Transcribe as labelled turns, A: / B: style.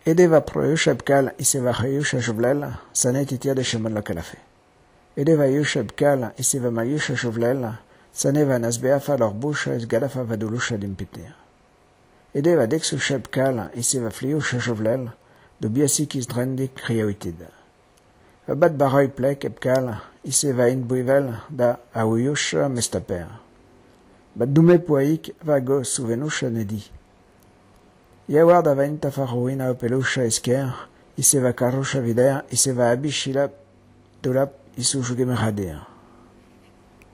A: Edeva proyusheb kal iseva hayusha shuvlela, sanet itiade sheman la kalafe. Edeva yusheb kal iseva mayusha shuvlela, saneva nasbeafa lorbusha is galafa vadulusha dimpitea. Edeva dexusheb kal iseva fliusha shuvlela, do biasikis drendik kriawitida. Bat baroy plek epkal iseva in buivel da auyusha mestaper. Bat dume poaik vago suvenusha nedi. Yawar da venta farouina opelusha esker, iseva karusha videa, iseva abishila dolap isujugemeradea.